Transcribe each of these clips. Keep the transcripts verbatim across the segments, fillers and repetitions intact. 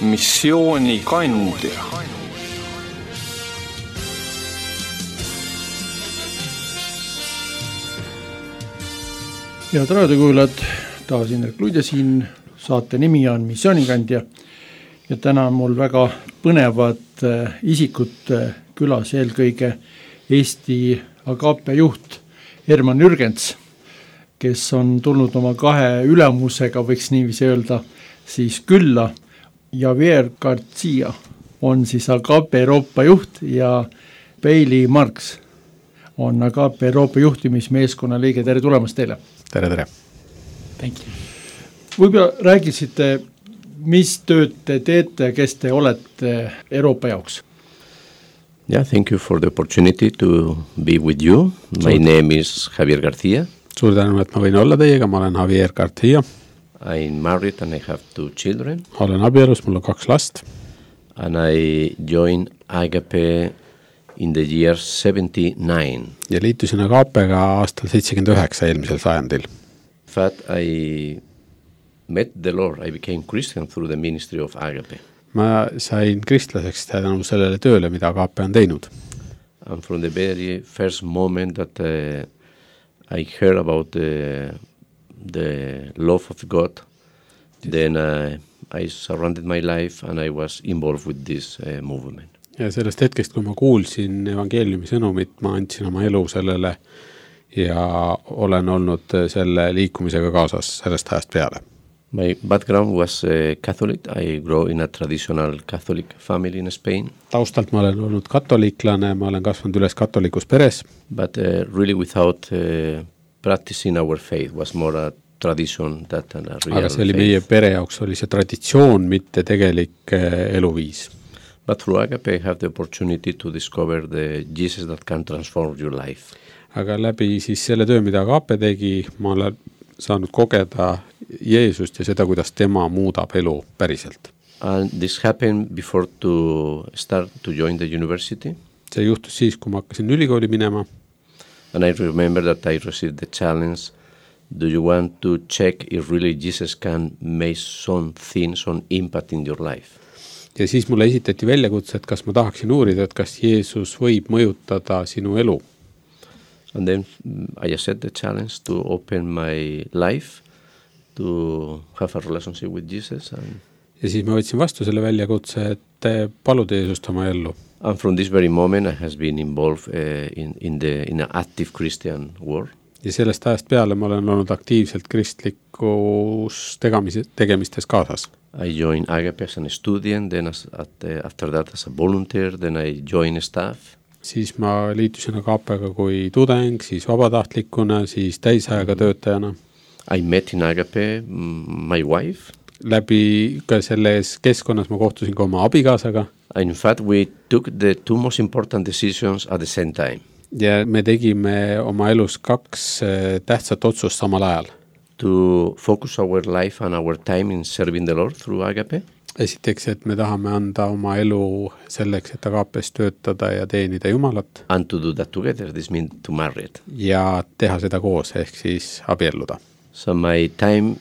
missiooni kandja. Head raadiokuulajad, taas Indrek Luidja siin, saate nimi on Missioonikandja ja täna on mul väga põnevad isikud külas, eelkõige Eesti Agape juht Herman Jürgens, kes on tulnud oma kahe ülemusega, võiks niiviisi öelda, siis külla. Javier Garcia on siis Agape Euroopa juht ja Bailey Marks on Agape Euroopa juhtimismeeskonna liige. Tere tulemast teile! Tere, tere! Thank you. Võib-olla räägisite, mis tööd te teete, kes te olete Euroopa jaoks? Yeah, thank you for the opportunity to be with you. My Suur. name is Javier Garcia. Suur tänu, et ma võin olla teiega, ma olen Javier Garcia. I'm married and I have two children. Olen abielus, mul on kaks last. And I joined Agape in the year seventy-nine. Ja liitusin Agapega aastal seitsekümmend üheksa eelmisel sajandil. In fact, I met the Lord. I became Christian through the ministry of Agape. Ma sain kristlaseks tänu sellele tööle, mida Agape on teinud. And from the very first moment that uh, I heard about the, the love of God, yes. then uh, I surrounded my life and I was involved with this uh, movement. Ja sellest hetkest, kui ma kuulsin evangeeliumi sõnumit, ma andsin oma elu sellele ja olen olnud selle liikumisega kaasas sellest ajast peale. My background was uh, Catholic. I grew in a traditional Catholic family in Spain. Taustalt ma olen olnud katoliklane, ma olen kasvanud üles katolikus peres. But uh, really without uh, practicing our faith, was more a tradition that a real faith. Aga see oli meie pere jaoks, oli see traditsioon, mitte tegelik uh, eluviis. But through Agape I have the opportunity to discover the Jesus that can transform your life. Aga läbi siis selle töö, mida Agape tegi, ma olen saanud kogeda Jeesust ja seda, kuidas tema muudab elu päriselt. And this happened before to start to join the university. See juhtus siis, kui ma hakkasin ülikooli minema. And I remember that I received the challenge, do you want to check if really Jesus can make something, some impact in your life? Ja siis mulle esitati väljakutse, et kas ma tahaksin uurida, et kas Jeesus võib mõjutada sinu elu. And then I accepted the challenge to open my life, to have a relationship with Jesus. And ja siis ma võtsin vastu selle väljakutse, et paluda Jeesust oma ellu. And from this very moment I has been involved uh, in, in, the, in an active Christian world. Ja sellest ajast peale ma olen olnud aktiivselt kristlikus tegemis, tegemistes kaasas. I joined Agape as a student, then as, at, uh, after that as a volunteer, then I joined staff. Siis ma liitusin Agapega kui tudeng, siis vabatahtlikuna, siis täisajaga töötajana. I met in Agape my wife. Läbi ka selles keskkonnas ma kohtusin ka oma abikaasaga. In fact, we took the two most important decisions at the same time. Ja me tegime oma elus kaks tähtsat otsust samal ajal. To focus our life and our time in serving the Lord through Agape. Esiteks, et me tahame anda oma elu selleks, et Agapes töötada ja teenida Jumalat. And to do that together, this means to marry it. Ja teha seda koos, ehk siis abielluda. So my time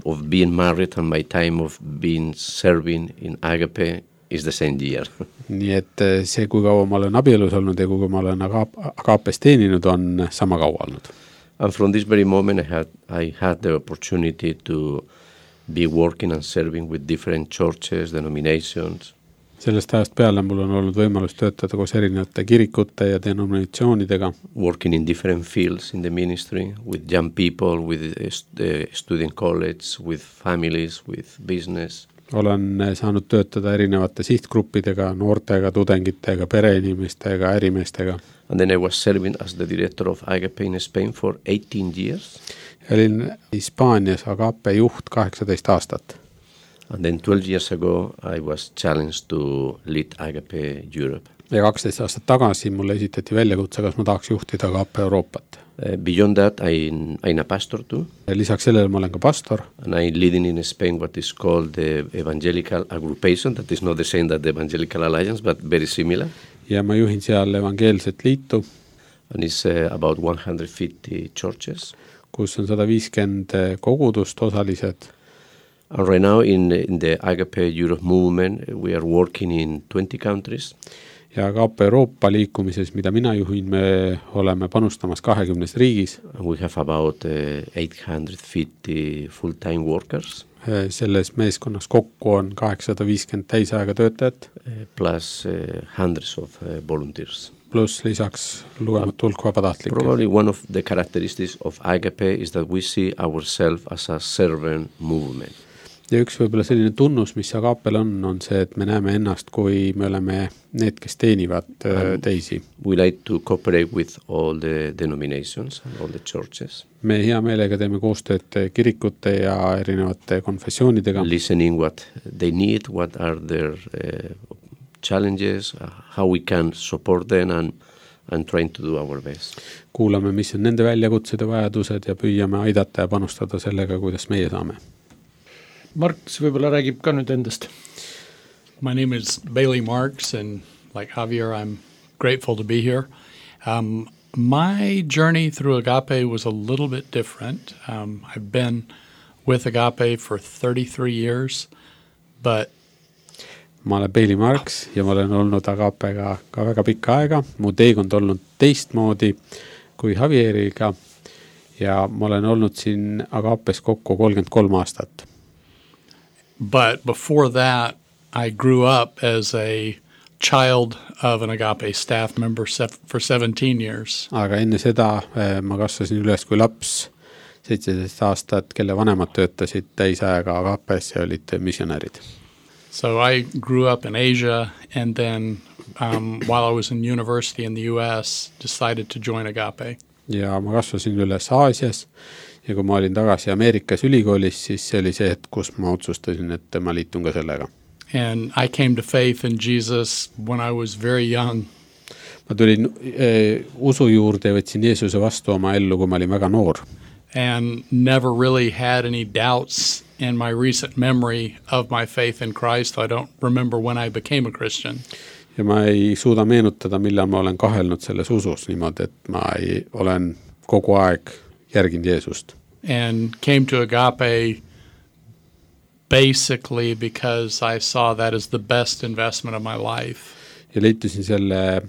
of being married and my time of being serving in Agape is the same year. Nii et see, kui kaua ma olen abielus olnud ja kui ma olen Agapes teeninud, on sama kaua olnud. And from this very moment I had, I had the opportunity to be working and serving with different churches, denominations. Sellest ajast peale mul on olnud võimalus töötada koos erinevate kirikute ja denominatsioonidega. Working in different fields in the ministry, with young people, with the student college, with families, with business. Olen saanud töötada erinevate sihtgruppidega, noortega, tudengitega, pereinimestega, ärimeestega. And then I was serving as the director of Agape in Spain for eighteen years. Olin Hispaanias Agape juht kaheksateist aastat. And then twelve years ago I was challenged to lead Agape Europe. Ja kaksteist aastat tagasi mulle esitati väljakutse, kas ma tahaks juhtida Agape Euroopat. Uh, beyond that, I, I'm a pastor too. Lisaks sellele ma olen ka pastor. And I'm leading in Spain what is called the Evangelical Aggregation. That is not the same that the Evangelical Alliance, but very similar. Ja ma juhin seal evangeelset liitu. And it's uh, about one hundred fifty churches. Kus on sada viiskümmend kogudust osalised. And right now in, in the Agape Europe movement, we are working in twenty countries. Ja Agape Euroopa liikumises, mida mina juhin, me oleme panustamas kahekümnes riigis. We have about uh, eight hundred fifty full-time workers. Selles meeskonnas kokku on kaheksasada viiskümmend täisaega töötajat. Plus uh, hundreds of uh, volunteers. Plus lisaks lugematu hulk vabatahtlikke. Probably one of the characteristics of Agape is that we see ourselves as a servant movement. Ja üks võib-olla selline tunnus, mis Agapel on, on see, et me näeme ennast, kui me oleme need, kes teenivad um, teisi. We like to cooperate with all the denominations and all the churches. Me hea meelega teeme koostööd kirikute ja erinevate konfessioonidega. Listening what they need, what are their uh, challenges, uh, how we can support them and, and trying to do our best. Kuulame, mis on nende väljakutsed ja vajadused ja püüame aidata ja panustada sellega, kuidas meie saame. Marks võib-olla räägib ka nüüd endast. My name is Bailey Marks, and like Javier, I'm grateful to be here. Um, my journey through Agape was a little bit different. Um, I've been with Agape for thirty-three years, but ma olen Bailey Marks ja ma olen olnud Agapega ka väga pikka aega. Mu teekond olnud teistmoodi kui Javieriga ja ma olen olnud siin Agapes kokku kolmkümmend kolm aastat. But before that, I grew up as a child of an Agape staff member for seventeen years. Aga enne seda ma kasvasin üles kui laps seitseteist aastat, kelle vanemad töötasid täisajaga Agapes ja olid missionärid. So I grew up in Asia, and then um, while I was in university in the U S, decided to join Agape. Ja ma kasvasin üles Aasias. Ja kui ma olin tagasi Ameerikas ülikoolis, siis see oli see, et kus ma otsustasin, et ma liitun ka sellega. And I came to faith in Jesus when I was very young. Ma tulin e, usu juurde ja võtsin Jeesuse vastu oma ellu, kui ma olin väga noor. And never really had any doubts in my recent memory of my faith in Christ. I don't remember when I became a Christian. Ja ma ei suuda meenutada, millal ma olen kahelnud selles usus niimoodi, et ma ei, olen kogu aeg järginud Jeesust. And came to Agape basically because I saw that as the best investment of my life. Ja liitusin selle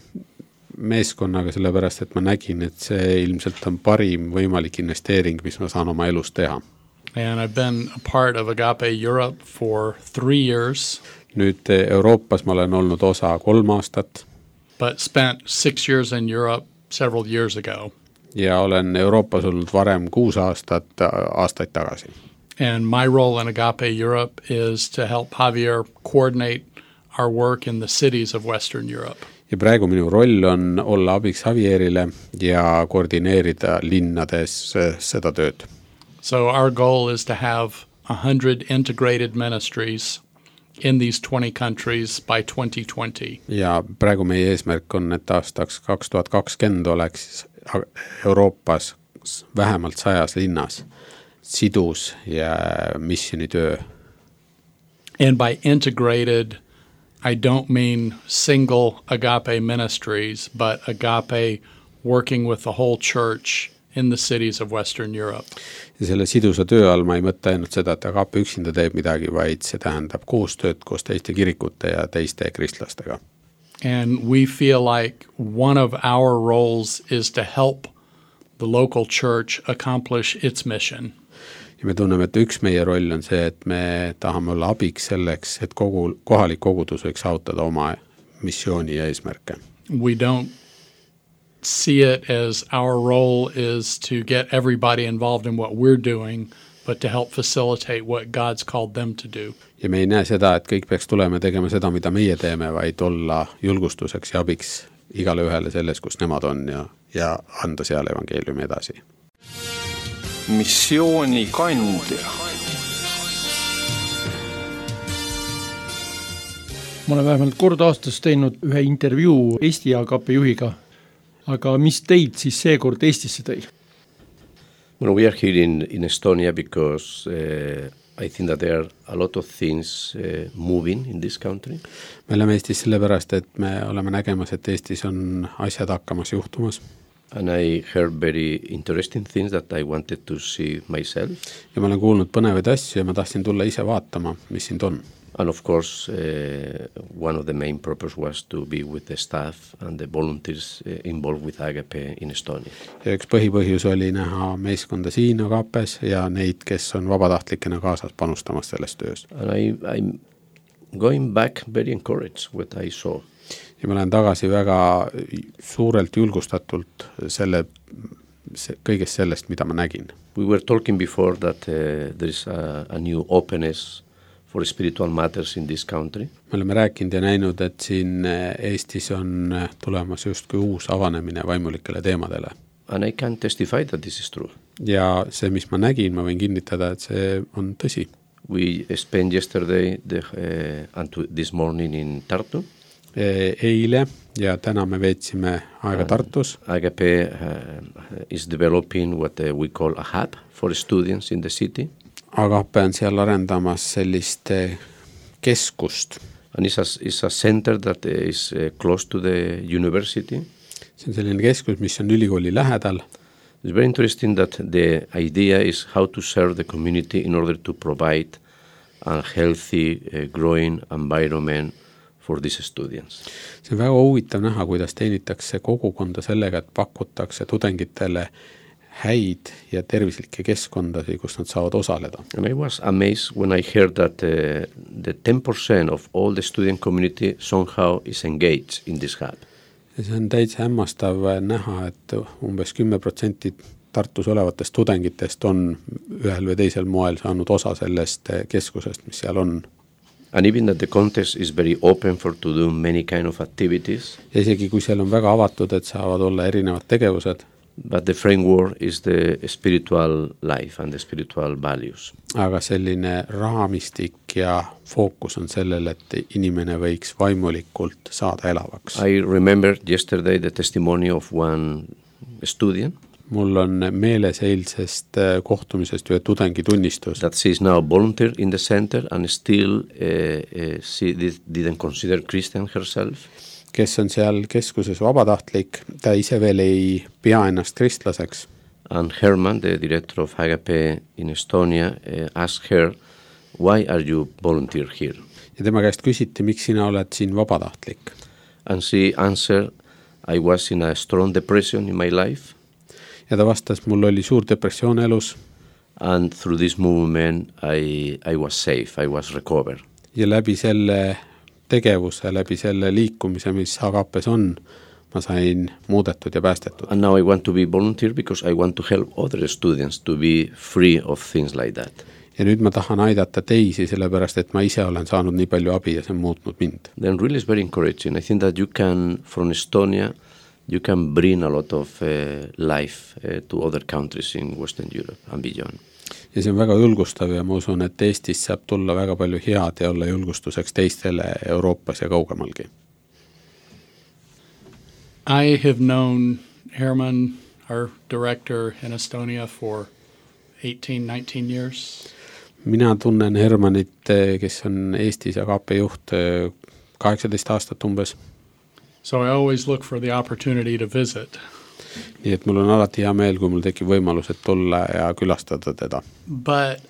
meeskonnaga sellepärast, et ma nägin, et see ilmselt on parim võimalik investeering, mis ma saan oma elus teha. And I've been a part of Agape Europe for three years. Nüüd Euroopas ma olen olnud osa kolm aastat. But spent six years in Europe several years ago. Ja olen Euroopas olnud varem kuus aastat, aastaid tagasi. And my role in Agape Europe is to help Javier coordinate our work in the cities of Western Europe. Ja praegu minu roll on olla abiks Javierile ja koordineerida linnades seda tööd. So our goal is to have one hundred integrated ministries in these twenty countries by twenty twenty. Ja praegu meie eesmärk on, et aastaks kaks tuhat kakskümmend oleks Euroopas vähemalt sajas linnas sidus ja missionitöö. And by integrated, I don't mean single Agape ministries, but Agape working with the whole church in the cities of Western Europe. Ja selle sidusa töö all ma ei mõtle ainult seda, et Agape üksinda teeb midagi, vaid see tähendab koostööd koos teiste kirikute ja teiste kristlastega. And we feel like one of our roles is to help the local church accomplish its mission. Ja me tunneme, et üks meie roll on see, et me tahame olla abiks selleks, et kogu, kohalik kogudus võiks saavutada oma missiooni ja eesmärke. We don't see it as our role is to get everybody involved in what we're doing, but to help facilitate what God's called them to do. Ja me ei näe seda, et kõik peaks tulema tegema seda, mida meie teeme, vaid olla julgustuseks ja abiks igale ühele selles, kus nemad on ja, ja anda seal evangeeliumi edasi. Missiooni kandja. Ma olen vähemalt kord aastas teinud ühe intervjuu Eesti Agape juhiga, aga mis teid siis seekord Eestisse tõi? Well, we are here in, in Estonia because uh, I think that there are a lot of things uh, moving in this country. Me oleme Eestis sellepärast, et me oleme nägemas, et Eestis on asjad hakkamas juhtumas. And I heard very interesting things that I wanted to see myself. Ja ma olen kuulnud põnevaid asju ja ma tahtsin tulla ise vaatama, mis siin on. And of course, uh, one of the main purpose was to be with the staff and the volunteers uh, involved with Agape in Estonia. Ja üks põhipõhjus oli näha meeskonda siin Agapes ja neid, kes on vabatahtlikena kaasas panustamas selles töös. And I, I'm going back very encouraged what I saw. Ja ma olen tagasi väga suurelt julgustatult selle, se, kõigest sellest, mida ma nägin. We were talking before that uh, there is a, a new openness for spiritual matters in this country. Me oleme rääkinud ja näinud, et siin Eestis on tulemas justkui uus avanemine vaimulikele teemadele. And I can testify that this is true. Ja see, mis ma nägin, ma võin kinnitada, et see on tõsi. We spent yesterday the, uh, and this morning in Tartu. Eile ja täna me veetsime aega Tartus. Agape uh, is developing what uh, we call a hub for students in the city. Agape on seal arendamas sellist keskust. And it's a, it's a center that is uh, close to the university. See on selline keskus, mis on ülikooli lähedal. It's very interesting that the idea is how to serve the community in order to provide a healthy, uh, growing environment for these students. See on väga huvitav näha, kuidas teenitakse kogukonda sellega, et pakutakse tudengitele häid ja tervislikke keskkondasi, kus nad saavad osaleda. And I was amazed when I heard that uh, the ten percent of all the student community somehow is engaged in this hub. Ja see on täitsa hämmastav näha, et umbes kümme protsenti Tartus olevatest tudengitest on ühel või teisel moel saanud osa sellest keskusest, mis seal on. And even that the context is very open for to do many kind of activities. Ja isegi kui seal on väga avatud, et saavad olla erinevad tegevused. But the framework is the spiritual life and the spiritual values. Aga selline raamistik ja fookus on sellel, et inimene võiks vaimulikult saada elavaks. I remember yesterday the testimony of one student. Mul on meeles eilsest kohtumisest ühe tudengi tunnistus. That she is now volunteer in the center and still uh, uh, she did, didn't consider Christian herself. Kes on seal keskuses vabatahtlik, ta ise veel ei pea ennast kristlaseks. And Herman, the director of Agape in Estonia, uh, asked her, why are you volunteer here? Ja tema käest küsiti, miks sina oled siin vabatahtlik? And she answered, I was in a strong depression in my life. Ja ta vastas, mul oli suur depressioon elus. And through this movement I, I was safe, I was recovered. Ja läbi selle tegevuse, läbi selle liikumise, mis Agapes on, ma sain muudetud ja päästetud. And now I want to be volunteer because I want to help other students to be free of things like that. Ja nüüd ma tahan aidata teisi, sellepärast, et ma ise olen saanud nii palju abi ja see on muutnud mind. Then really is very encouraging. I think that you can, from Estonia, you can bring a lot of uh, life uh, to other countries in Western Europe and beyond. Ja see on väga julgustav ja ma usun, et Eestis saab tulla väga palju head ja olla julgustuseks teistele Euroopas ja kaugemalgi. I have known Herman, our director in Estonia, for eighteen, nineteen years. Mina tunnen Hermanit, kes on Eestis Agape juht kaheksateist aastat umbes. So I always look for the opportunity to visit. Nii et mul on alati hea meel, kui mul tekib võimalus, et tulla ja külastada teda. But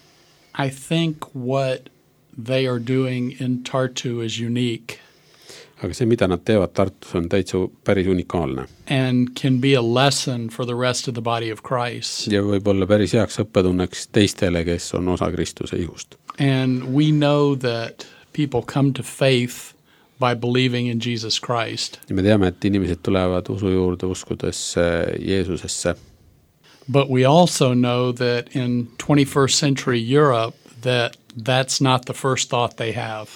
I think what they are doing in Tartu is unique. Aga see, mida nad teevad Tartus, on täitsa päris unikaalne. And can be a lesson for the rest of the body of Christ. Ja võib olla päris heaks õppetunneks teistele, kes on osa Kristuse ihust. And we know that people come to faith by believing in Jesus Christ. Ja me teame, et inimesed tulevad usu juurde uskudes Jeesusesse. But we also know that in twenty-first century Europe that that's not the first thought they have.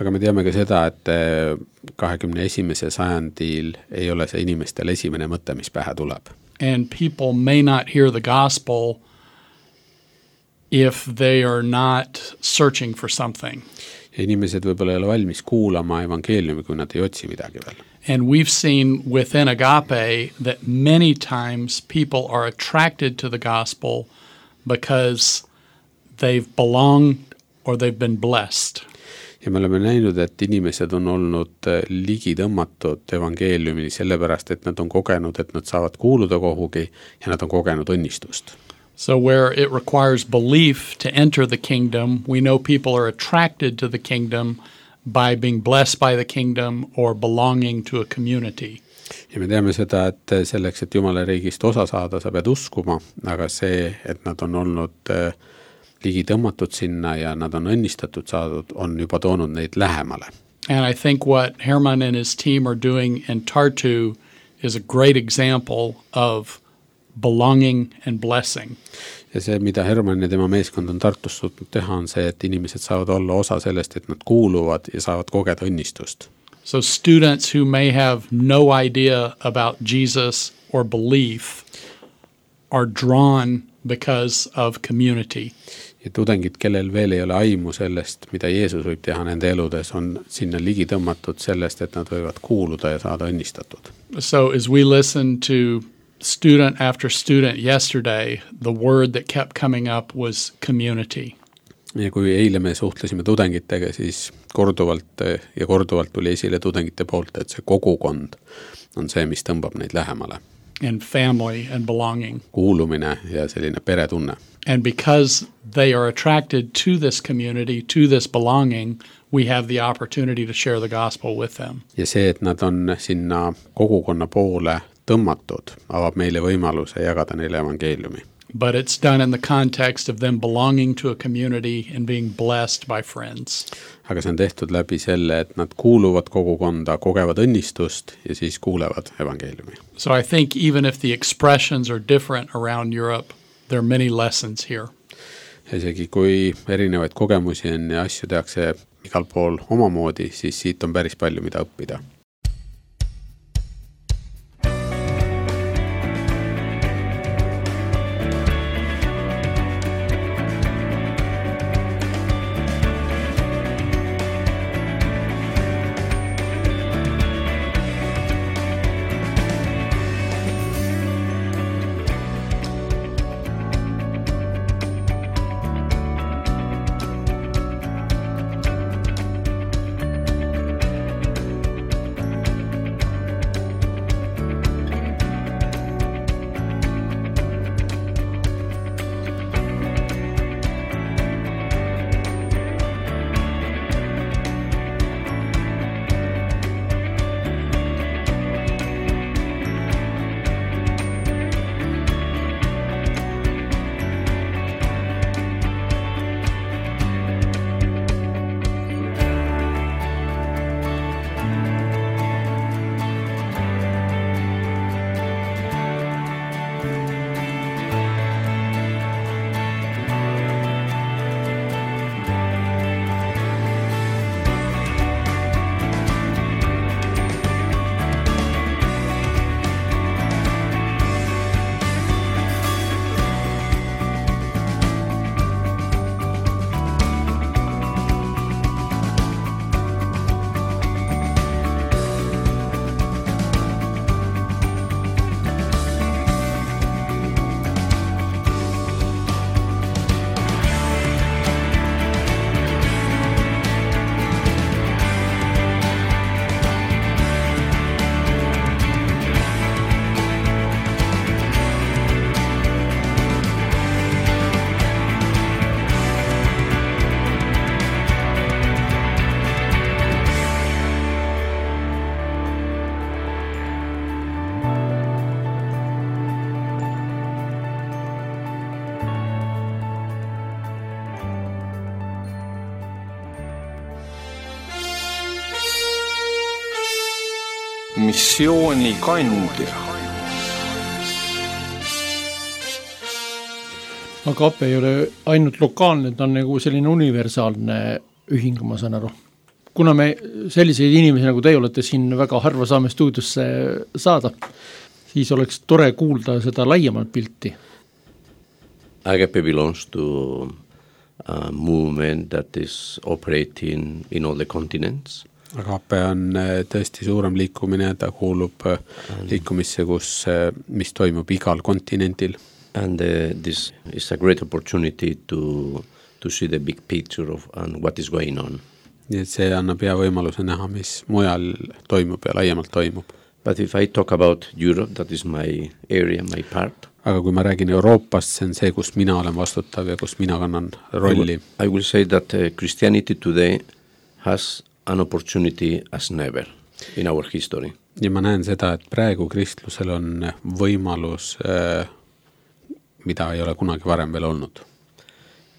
Aga me teame ka seda, et kahekümne esimesel sajandil ei ole see inimestel esimene mõte, mis pähe tuleb. And people may not hear the gospel if they are not searching for something. Ja inimesed võib-olla ei ole valmis kuulama evangeeliumi, kui nad ei otsi midagi veel. And we've seen within Agape that many times people are attracted to the gospel because they've belonged or they've been blessed. ja me oleme näinud, et inimesed on olnud ligi tõmmatud evangeeliumini sellepärast, et nad on kogenud, et nad saavad kuuluda kohugi ja nad on kogenud õnnistust. So where it requires belief to enter the kingdom, we know people are attracted to the kingdom by being blessed by the kingdom or belonging to a community. Ja me teame seda, et selleks, et Jumala riigist osa saada, sa pead uskuma, aga see, et nad on olnud ligi tõmmatud sinna ja nad on õnnistatud saadud, on juba toonud neid lähemale. And I think what Herman and his team are doing in Tartu is a great example of belonging and blessing. Ja see, mida Herman ja tema meeskond on Tartus suutnud teha, on see, et inimesed saavad olla osa sellest, et nad kuuluvad ja saavad kogeda õnnistust. So students who may have no idea about Jesus or belief are drawn because of community. Ja tudengid, kellel veel ei ole aimu sellest, mida Jeesus võib teha nende eludes, on sinna ligi tõmmatud sellest, et nad võivad kuuluda ja saada õnnistatud. So as we listen to student after student yesterday, the word that kept coming up was community. Ja kui eile me suhtlesime tudengitega, siis korduvalt ja korduvalt tuli esile tudengite poolt, et see kogukond on see, mis tõmbab neid lähemale. And family and belonging. Kuulumine ja selline peretunne. And because they are attracted to this community, to this belonging, we have the opportunity to share the gospel with them. Ja see, et nad on sinna kogukonna poole tõmmatud, avab meile võimaluse jagada neile evangeeliumi. But it's done in the context of them belonging to a community and being blessed by friends. Aga see on tehtud läbi selle, et nad kuuluvad kogukonda, kogevad õnnistust ja siis kuulevad evangeeliumi. So I think even if the expressions are different around Europe, there are many lessons here. Isegi kui erinevaid kogemusi on ja asju tehakse igal pool omamoodi, siis siit on päris palju mida õppida. Missioonikandja. Agape ei ole ainult lokaalne, ta on nagu selline universaalne ühing, ma saan aru. Kuna me selliseid inimesi, nagu teie olete siin väga harva saame stuudiosse saada, siis oleks tore kuulda seda laiemalt pilti. Agape belongs to a movement that is operating in all the continents. Agape on tõesti suurem liikumine, ta kuulub liikumisse, kus, mis toimub igal kontinentil. And uh, this is a great opportunity to, to see the big picture of and what is going on. Nii et see annab hea võimaluse näha, mis mujal toimub ja laiemalt toimub. But if I talk about Europe, that is my area, my part. Aga kui ma räägin Euroopast, see on see, kus mina olen vastutav ja kus mina kannan rolli. I will say that uh, Christianity today has an opportunity as never in our history. Ja ma näen seda, et praegu kristlusel on võimalus, äh, mida ei ole kunagi varem veel olnud.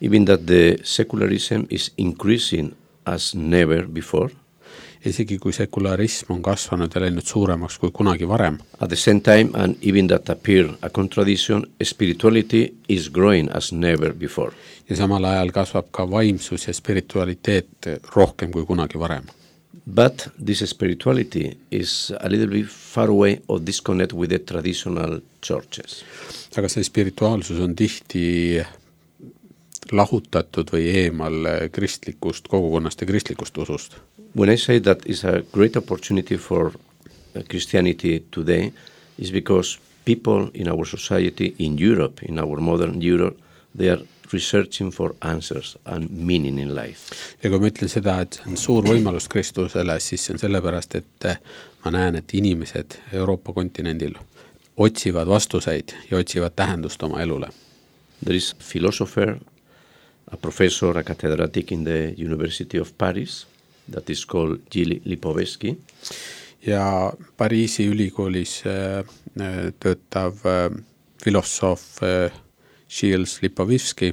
Even that the secularism is increasing as never before. Isegi kui sekularism on kasvanud ja läinud suuremaks kui kunagi varem. At the same time, and even that appear a contradiction, spirituality is growing as never before. Ja samal ajal kasvab ka vaimsus ja spiritualiteet rohkem kui kunagi varem. But this spirituality is a little bit far away or disconnect with the traditional churches. Aga see spirituaalsus on tihti lahutatud või eemal kristlikust kogukonnast ja kristlikust usust. When I say that is a great opportunity for Christianity today, is because people in our society, in Europe, in our modern Europe, they are researching for answers and meaning in life. Ja kui ma ütlen seda, et see on suur võimalus kristlusele, siis see on sellepärast, et ma näen, et inimesed Euroopa kontinendil otsivad vastuseid ja otsivad tähendust oma elule. There is a philosopher, a professor, a catedраtic in the University of Paris, that is called Gilles Lipovetsky. Ja Pariisi ülikoolis äh, töötav äh, filosoof äh, Gilles Lipovetsky.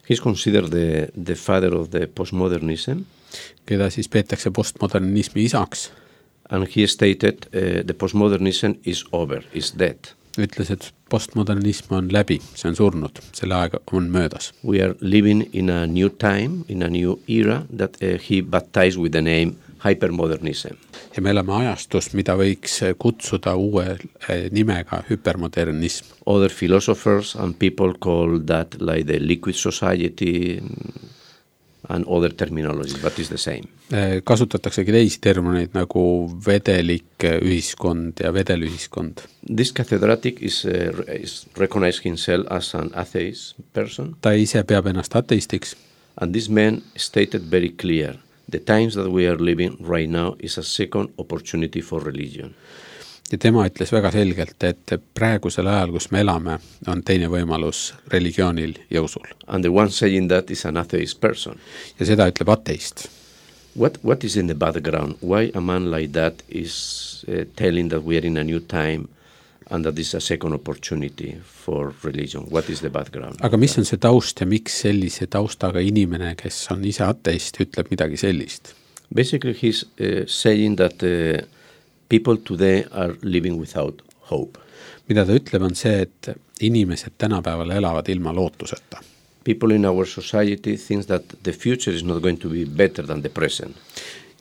He's considered the, the father of the postmodernism. Keda siis peetakse postmodernismi isaks. And he stated uh, the postmodernism is over, is dead. Ütles, et postmodernism on läbi, see on surnud, selle aeg on möödas. We are living in a new time, in a new era that uh, he baptized with the name hypermodernism. Ja me elame ajastus, mida võiks kutsuda uue nimega hypermodernism. Other philosophers and people call that like the liquid society and other terminologies, but it's the same. Kasutataksegi teisi termineid nagu vedelik ühiskond ja vedelühiskond. This catedраtic is, uh, is recognized himself as an atheist person. Ta ise peab ennast ateistiks. And this man stated very clear, the times that we are living right now is a second opportunity for religion. Ja tema ütles väga selgelt, et praegusel ajal, kus me elame, on teine võimalus religioonil ja usul. And the one saying that is an atheist person. Ja seda ütleb ateist. What, what is in the background? Why a man like that is uh, telling that we are in a new time and that this is a second opportunity for religion? What is the background? Aga mis on see taust ja miks sellise taustaga inimene, kes on ise ateist, ütleb midagi sellist? Basically, he's uh, saying that uh, people today are living without hope. Mida ta ütleb on see, et inimesed tänapäeval elavad ilma lootuseta. People in our society think that the future is not going to be better than the present.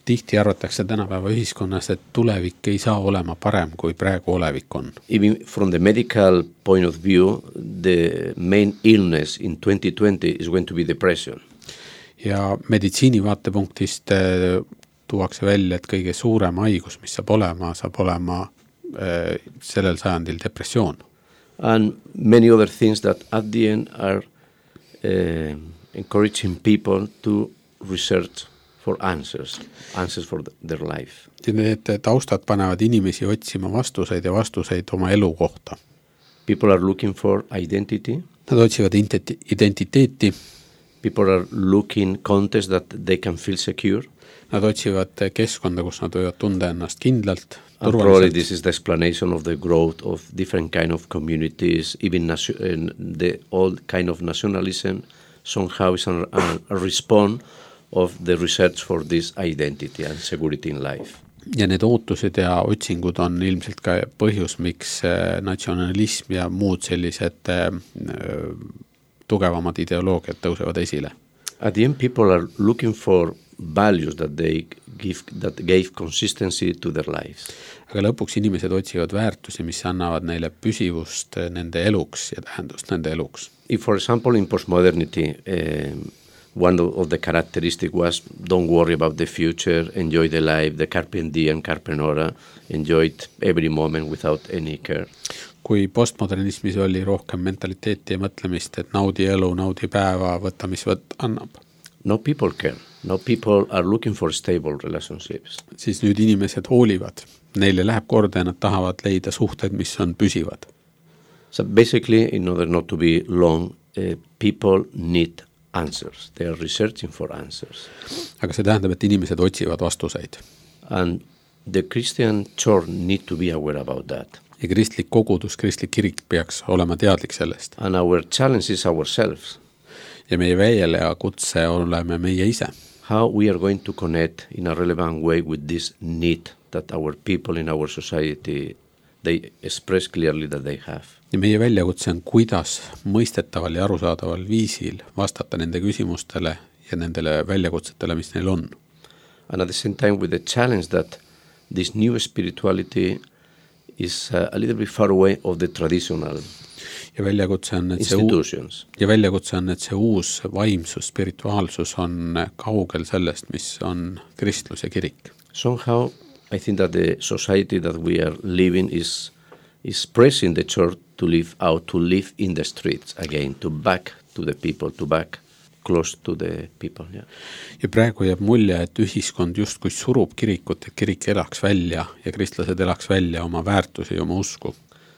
Tihti arvatakse tänapäeva ühiskonnas, et tulevik ei saa olema parem kui praegu olevik on. Even from the medical point of view, the main illness in twenty twenty is going to be depression. Ja meditsiini vaatepunktist tuuakse välja, et kõige suurem haigus, mis saab olema, saab olema äh, sellel sajandil depressioon. And many other things that at the end are uh, encouraging people to research for answers, answers for the, their life. Ja need taustad panevad inimesi otsima vastuseid ja vastuseid oma elu kohta. People are looking for identity. Nad otsivad identiteeti. People are looking context that they can feel secure. Nad otsivad keskkonda, kus nad võivad tunda ennast kindlalt, turvaliselt. Probably this is the explanation of the growth of different kind of communities, even nation, the old kind of nationalism somehow is a, a response of the research for this identity and security in life. Ja need ootused ja otsingud on ilmselt ka põhjus, miks natsionalism ja muud sellised äh, tugevamad ideoloogiad tõusevad esile. At the end, people are looking for values that they give, that gave consistency to their lives. Aga lõpuks inimesed otsivad väärtusi, mis annavad neile püsivust nende eluks ja tähendust nende eluks. If, for example, in postmodernity, um, one of the characteristics was don't worry about the future, enjoy the life, the carpe diem, carpe nora, enjoyed every moment without any care. Kui postmodernismis oli rohkem mentaliteeti ja mõtlemist, et naudi elu, naudi päeva, võtta, mis võt annab. No people care. Now people are looking for stable relationships. siis nüüd inimesed hoolivad, neile läheb korda ja nad tahavad leida suhteid, mis on püsivad. So basically, in order not to be long, uh, people need answers. They are researching for answers. Aga see tähendab, et inimesed otsivad vastuseid. And the Christian church need to be aware about that. Ja kristlik kogudus, kristlik kirik peaks olema teadlik sellest. And our challenge is ourselves. Ja meie välja kutse oleme meie ise. How we are going to connect in a relevant way with this need that our people in our society, they express clearly that they have. Ja meie väljakutse on, kuidas mõistetaval ja arusaadaval viisil vastata nende küsimustele ja nendele väljakutsetele, mis neil on. And at the same time with the challenge that this new spirituality is uh, a little bit far away of the traditional ja väljakutse on, et see uus, ja väljakutse on, et see uus vaimsus, spirituaalsus on kaugel sellest, mis on kristlus ja kirik. Somehow I think that the society that we are living is is pressing the church to live out, to live in the streets again, to back to the people, to back close to the people. Yeah. Ja praegu jääb mulje, et ühiskond justkui surub kirikut, et kirik elaks välja ja kristlased elaks välja oma väärtusi ja oma usku.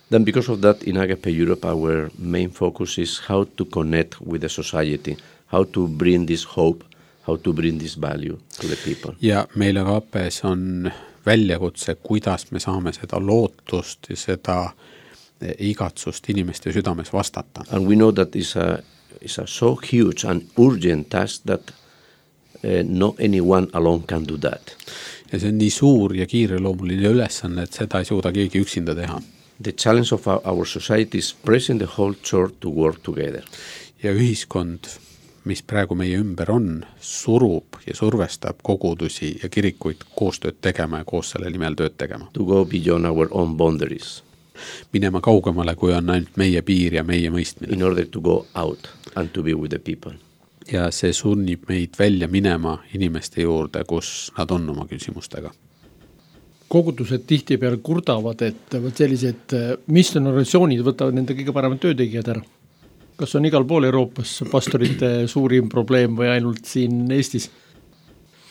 Then because of that, in Agape Europe, our main focus is how to connect with the society, how to bring this hope, how to bring this value to the people. Ja meil Agapes on väljakutse, kuidas me saame seda lootust ja seda igatsust inimeste südames vastata. And we know that it's a, it's a so huge and urgent task that uh, no anyone alone can do that. Ja see on nii suur ja kiireloomuline ülesanne, et seda ei suuda keegi üksinda teha. The challenge of our, our society is pressing the whole church to work together. Ja ühiskond, mis praegu meie ümber on, surub ja survestab kogudusi ja kirikuid koostööd tegema ja koos selle nimel tööd tegema. To go beyond our own boundaries. Minema kaugemale, kui on ainult meie piir ja meie mõistmine. In order to go out and to be with the people. Ja see sunnib meid välja minema inimeste juurde, kus nad on oma küsimustega. Kogudused tihtipeale kurdavad, et sellised missionorganisatsioonid võtavad nende kõige paremad töötegijad ära. Kas on igal pool Euroopas pastorite suurim probleem või ainult siin Eestis?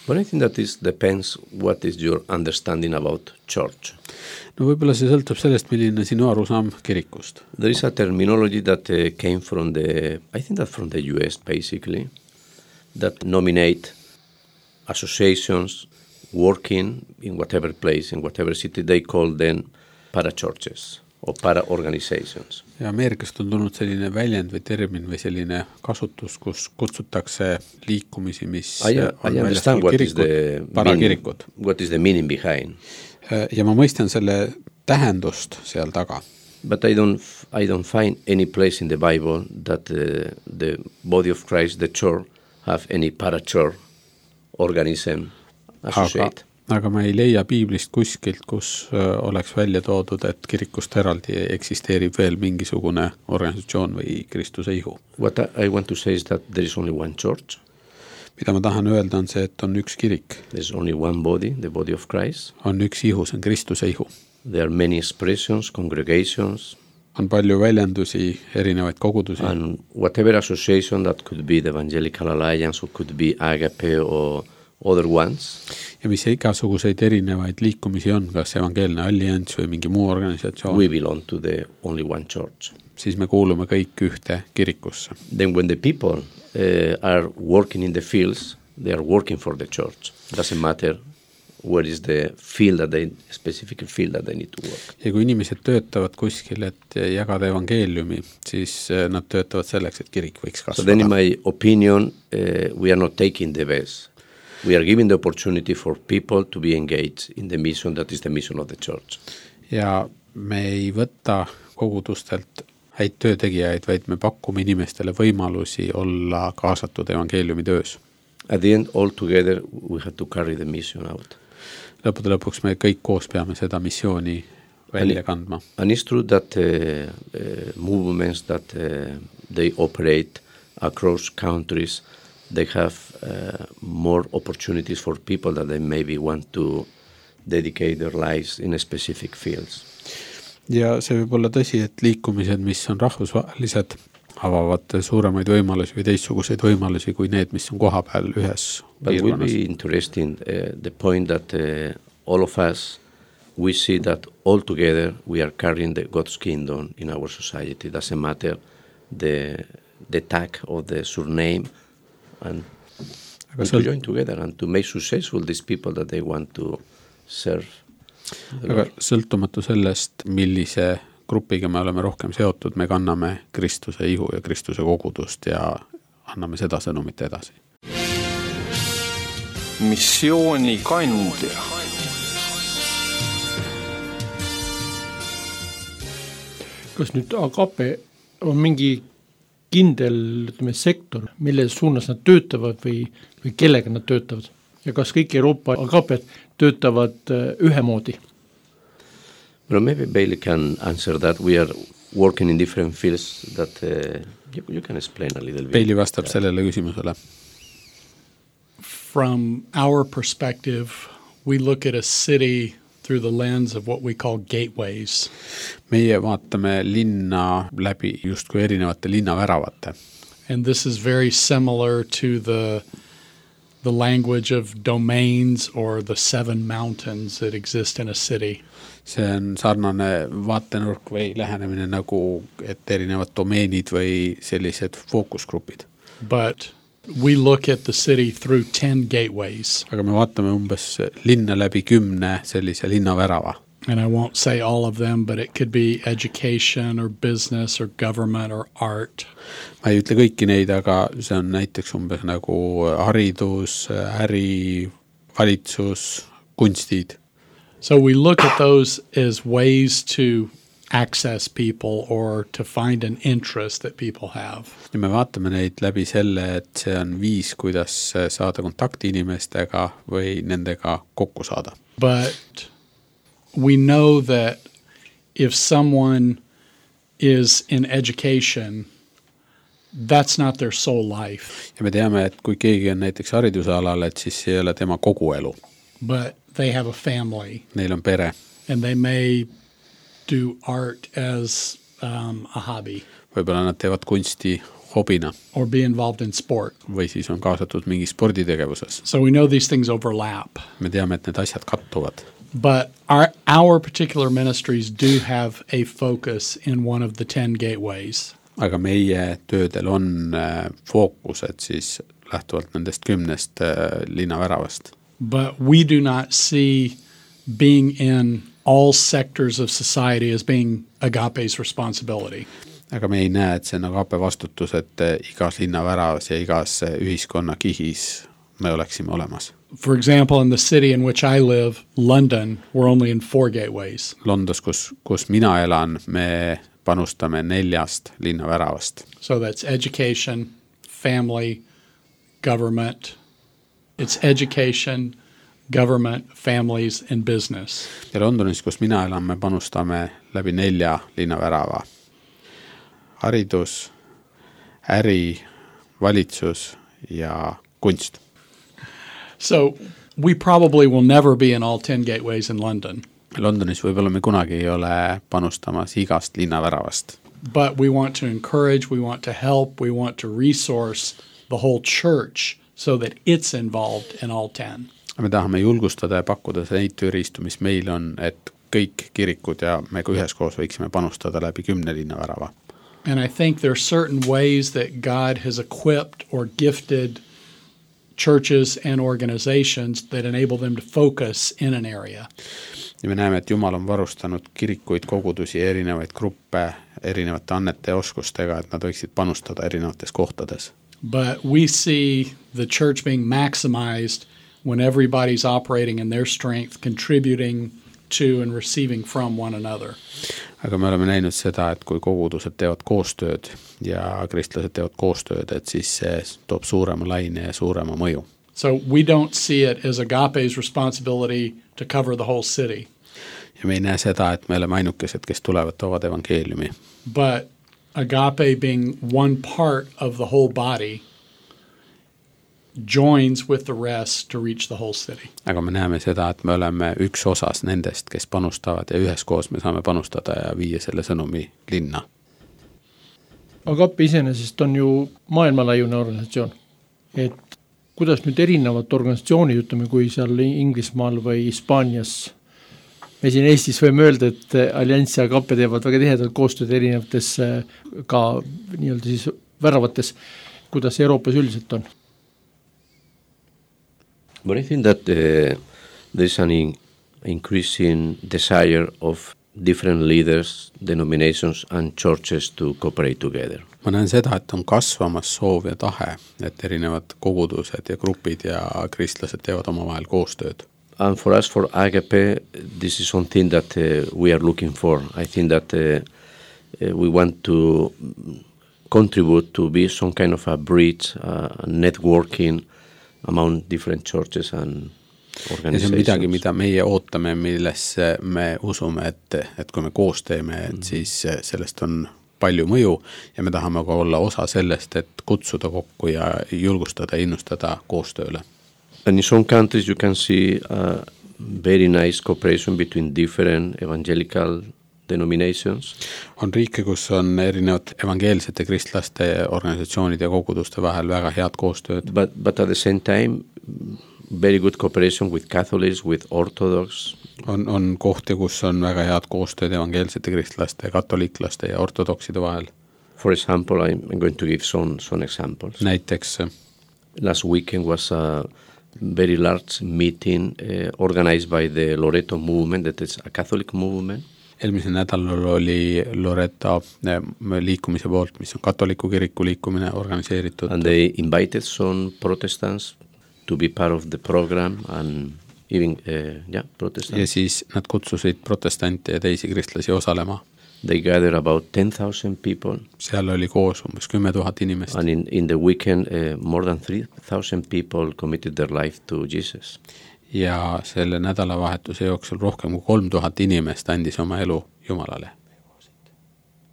But I think that this depends what is your understanding about church. No võib-olla see sõltub sellest, milline sinu arusaam kirikust. There is a terminology that uh, came from the, I think that from the U S basically, that nominate associations working in whatever place, in whatever city, they call them para-churches or para-organizations. Ja Ameerikast on tulnud selline väljend või termin või selline kasutus, kus kutsutakse liikumisi, mis I, I understand what is, meaning, what is the meaning behind. Ja ma mõistan selle tähendust seal taga. But I don't, I don't find any place in the Bible that uh, the body of Christ, the church, have any para-church organism associate. Aga, aga ma ei leia piiblist kuskilt, kus uh, oleks välja toodud, et kirikust eraldi eksisteerib veel mingisugune organisatsioon või Kristuse ihu. What I want to say is that there is only one church. Mida ma tahan öelda on see, et on üks kirik. There is only one body, the body of Christ. On üks ihu, see on Kristuse ihu. There are many expressions, congregations. On palju väljendusi, erinevaid kogudusi. And whatever association that could be the Evangelical Alliance or could be Agape or other ones. Ja mis igasuguseid erinevaid liikumisi on, kas evangeelne allianss või mingi muu organisatsioon. We belong to the only one church. Siis me kuulume kõik ühte kirikusse. Then when the people uh, are working in the fields, they are working for the church. Doesn't matter where is the field that they, specific field that they need to work. Ja kui inimesed töötavad kuskil, et jagada evangeeliumi, siis nad töötavad selleks, et kirik võiks kasvada. So then in my opinion, uh, we are not taking the best. We are giving the opportunity for people to be engaged in the mission that is the mission of the church. Ja me ei võta kogudustelt häid töötegijaid, vaid me pakume inimestele võimalusi olla kaasatud evangeeliumi töös. At the end, all together, we have to carry the mission out. Lõppude lõpuks me kõik koos peame seda missiooni välja kandma. And it's true that uh, uh, movements that uh, they operate across countries, they have uh, more opportunities for people that they maybe want to dedicate their lives in a specific fields. Ja see võib olla tõsi, et liikumised, mis on rahvusvahelised, avavad suuremaid võimalusi või teistsuguseid võimalusi kui need, mis on koha peal ühes But it will piirkonnas. be interesting uh, the point that uh, all of us, we see that all together we are carrying the God's kingdom in our society. It doesn't matter the, the tag of the surname, and Aga we to sõlt- join together and to make successful these people that they want to serve. the Aga Lord. sõltumatu sellest, millise grupiga me oleme rohkem seotud, me kanname Kristuse ihu ja Kristuse kogudust ja anname seda sõnumit edasi. missioonikandja. kas nüüd Agape on mingi kindel, ütleme, sektor, mille suunas nad töötavad või, või kellega nad töötavad? Ja kas kõik Euroopa Agaped töötavad äh, ühemoodi? Well, maybe Bailey can answer that. We are working in different fields that uh, you, you can explain a little bit. Peili vastab sellele küsimusele. From our perspective, we look at a city through the lens of what we call gateways. Meie vaatame linna läbi justkui erinevate linnaväravate. And this is very similar to the the language of domains or the seven mountains that exist in a city. See on sarnane vaatenurk või lähenemine nagu, et erinevad domeenid või sellised fookusgrupid. But we look at the city through ten gateways. Aga me vaatame umbes linna läbi kümne sellise linnavärava. And I won't say all of them, but it could be education or business or government or art. Ma ei ütle kõiki neid, aga see on näiteks umbes nagu haridus, äri, valitsus, kunstid. So we look at those as ways to access people or to find an interest that people have. Ja me vaatame neid läbi selle, et see on viis, kuidas saada kontakti inimestega või nendega kokku saada. But we know that if someone is in education, that's not their sole life. Ja me teame, et kui keegi on näiteks haridusalal, et siis see ei ole tema kogu elu. But they have a family. Neil on pere. And they may do art as um, a hobby. Võib-olla nad teevad kunsti hobina. Or be involved in sport. Või siis on kaasatud mingi sporditegevuses. So we know these things overlap. Me teame, et need asjad kattuvad. But our, our particular ministries do have a focus in one of the ten gateways. Aga meie töödel on äh, fookused siis lähtuvalt nendest kümnest äh, linnaväravast. But we do not see being in all sectors of society as being Agape's responsibility. Aga me ei näe, et see on Agape vastutus, et äh, igas linnaväravas ja igas äh, ühiskonna kihis me oleksime olemas. For example, in the city in which I live, London, we're only in four gateways. Londos, kus, kus mina elan, me panustame neljast linnaväravast. So that's education, family, government. It's education, government, families, and business. Ja Londonis, kus mina elan, me panustame läbi nelja linnavärava. Haridus, äri, valitsus ja kunst. So we probably will never be in all ten gateways in London. Londonis võib-olla me kunagi ei ole panustamas igast linnaväravast. But we want to encourage, we want to help, we want to resource the whole church so that it's involved in all ten. Me tahame julgustada ja pakkuda neid tööriistu, mis meil on, et kõik kirikud ja me kui üheskoos võiksime panustada läbi kümne linnavärava. And I think there are certain ways that God has equipped or gifted churches and organizations that enable them to focus in an area. Ja me näeme, et Jumal on varustanud kirikuid, kogudusi, erinevaid gruppe, erinevate annete ja oskustega, et nad võiksid panustada erinevates kohtades. But we see the church being maximized when everybody's operating in their strength, contributing to and receiving from one another. Aga me oleme näinud seda, et kui kogudused teevad koostööd ja kristlased teevad koostööd, et siis see toob suurema laine ja suurema mõju. So we don't see it as Agape's responsibility to cover the whole city. Ja me ei näe seda, et me oleme ainukesed, kes tulevad toovad evangeeliumi. But Agape being one part of the whole body joins with the rest to reach the whole city. Aga me näeme seda, et me oleme üks osas nendest, kes panustavad ja üheskoos me saame panustada ja viia selle sõnumi linna. Agape iseenesest on ju maailmalaiune organisatsioon, et kuidas nüüd erinevad organisatsioonid, ütleme, kui seal Inglismaal või Hispaanias, me siin Eestis võime öelda, et Allianz ja Agape teevad väga tihedalt koostööd erinevates ka nii-öelda siis väravates, kuidas Euroopas üldiselt on? But I think that uh, there's an in- increasing desire of different leaders, denominations and churches to cooperate together. Ma näen seda, et on kasvamas soov ja tahe, et erinevad kogudused ja grupid ja kristlased teevad omavahel koostööd. And for us, for Agape, this is something that uh, we are looking for. I think that uh, uh, we want to contribute to be some kind of a bridge, uh, networking among different churches and ja see on midagi, mida meie ootame, millesse me usume, et, et kui me koos teeme, et mm. siis sellest on palju mõju ja me tahame ka olla osa sellest, et kutsuda kokku ja julgustada ja innustada koostööle. And in some countries you can see a very nice cooperation between different evangelical denominations. On riike, kus on erinevad evangeelsete kristlaste organisatsioonid ja koguduste vahel väga head koostööd. But, but at the same time, very good cooperation with Catholics, with Orthodox. On, on kohti, kus on väga head koostööd evangeelsete kristlaste, katoliiklaste ja ortodokside vahel. For example, I'm going to give some, some examples. Näiteks last weekend was a very large meeting uh, organized by the Loreto movement, that is a Catholic movement. Eelmisel nädalal oli Loreto liikumise poolt, mis on katoliku kiriku liikumine organiseeritud. And they invited some Protestants to be part of the program and even, uh, yeah, Protestants. Ja siis nad kutsusid protestante ja teisi kristlasi osalema. They gathered about ten thousand people. Seal oli koos umbes kümme tuhat inimest. And in, in the weekend, uh, more than three thousand people committed their life to Jesus. Ja selle nädalavahetuse jooksul rohkem kui kolm tuhat inimest andis oma elu Jumalale.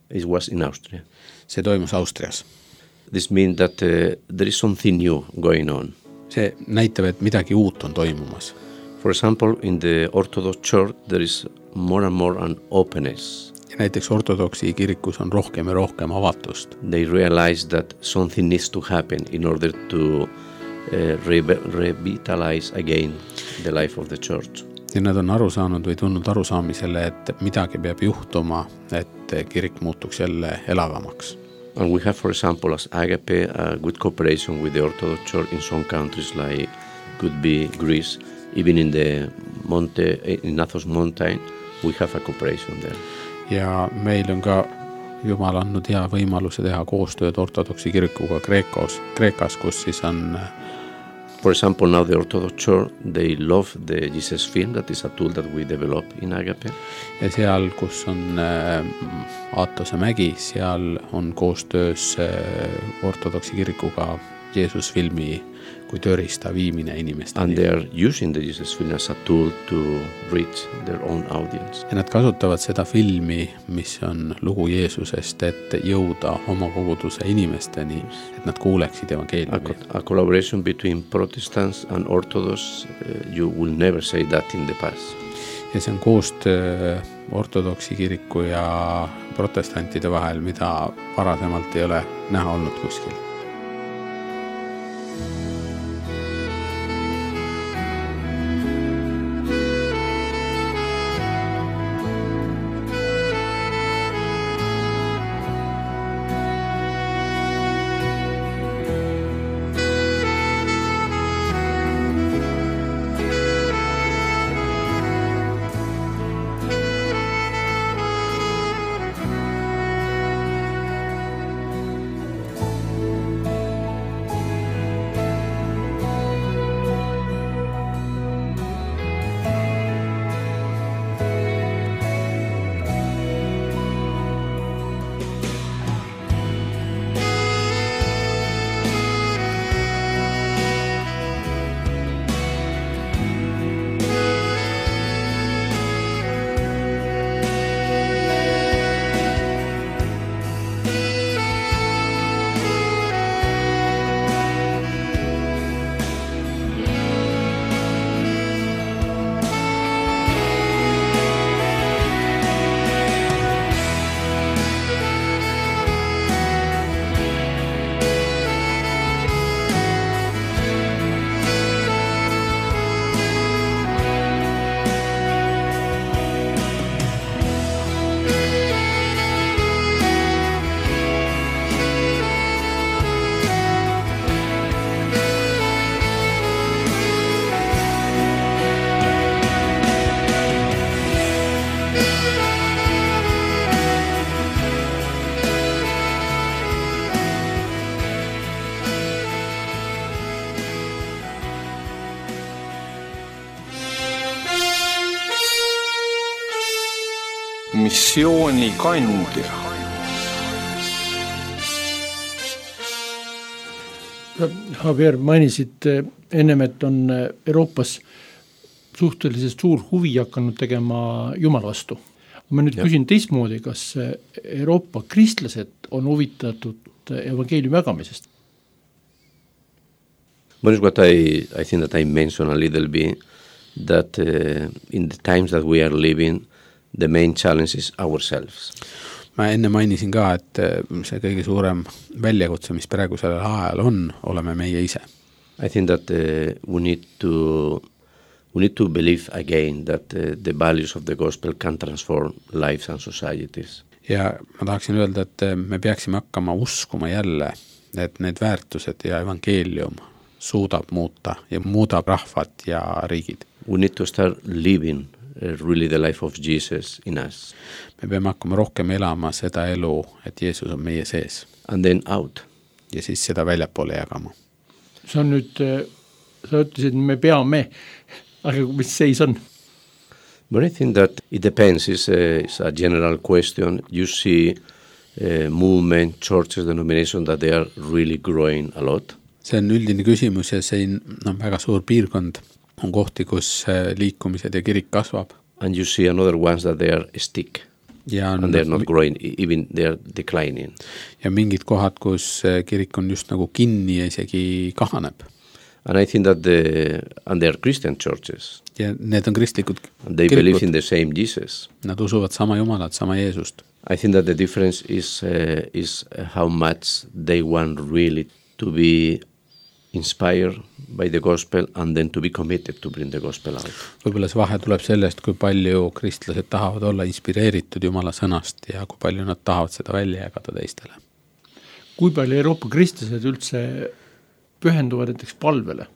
It was in Austria. See toimus Austrias. This means that uh, there is something new going on. See näitab, et midagi uut on toimumas. For example, in the Orthodox Church, there is more and more an openness. Ja näiteks ortodoksi kirikus on rohkem ja rohkem avatust. They realize that something needs to happen in order to uh, re- revitalize again the life of the church. Ja nad on aru saanud või tulnud arusaamisele, et midagi peab juhtuma, et kirik muutuks jälle elavamaks. And we have, for example, as Agape, a good cooperation with the Orthodox Church in some countries like could be Greece, even in the Monte, in Athos mountain, we have a cooperation there. Ja meil on ka Jumal andnud hea võimaluse teha koostööd ortodoksi kirikuga Kreekos, Kreekas, kus siis on... For example, now the Orthodox Church, they love the Jesus film, that is a tool that we develop in Agape. Ja seal, kus on äh, Aatose mägi, seal on koostöös äh, ortodoksi kirikuga Jeesus filmi kui tööriista viimine inimesteni. And they are using the Jesus film as a tool to reach their own audience. Ja nad kasutavad seda filmi, mis on lugu Jeesusest, et jõuda oma koguduse inimesteni, et nad kuuleksid evangeeliumi. A, a collaboration between Protestants and Orthodox, uh, you will never say that in the past. Ja see on koostöö ortodoksi kiriku ja protestantide vahel, mida varasemalt ei ole näha olnud kuskil. missioonikandja. Javier, mainisid ennem, et on Euroopas suhteliselt suur huvi hakanud tegema Jumala vastu. Ma nüüd ja. küsin teistmoodi, kas Euroopa kristlased on huvitatud evangeeliumi jagamisest? One is what I, I think that I mentioned a little bit, that uh, in the times that we are living, the main challenge is ourselves. Ma enne mainisin ka, et see kõige suurem väljakutse, mis praegu sellel ajal on, oleme meie ise. I think that uh, we need to we need to believe again that uh, the values of the gospel can transform lives and societies. Ja ma tahaksin öelda, et me peaksime hakkama uskuma jälle, et need väärtused ja evangeelium suudab muuta ja muudab rahvad ja riigid. We need to start living uh, really the life of Jesus in us. Me peame hakkama rohkem elama seda elu, et Jeesus on meie sees. And then out. Ja siis seda väljapoole jagama. See on nüüd, sa ütlesid, me peame, aga mis seis on? But I think that it depends. It's a, it's a general question. You see uh, movement, churches, denominations that they are really growing a lot. See on üldine küsimus ja see on väga suur piirkond. On kohti, kus liikumised ja kirik kasvab. And you see another ones that they are stick. Ja and they are not growing, even they are declining. Ja mingid kohad, kus kirik on just nagu kinni ja isegi kahaneb. And I think that the, and they are Christian churches. Ja need on kristlikud and they kirikud. Believe in the same Jesus. Nad usuvad sama Jumalat, sama Jeesust. I think that the difference is, uh, is how much they want really to be inspired by the gospel and then to be committed to bring the gospel out. Võib-olla see vahe tuleb sellest, kui palju kristlased tahavad olla inspireeritud Jumala sõnast ja kui palju nad tahavad seda välja jagada teistele. Kui palju Euroopa kristlased üldse pühenduvad näiteks palvele?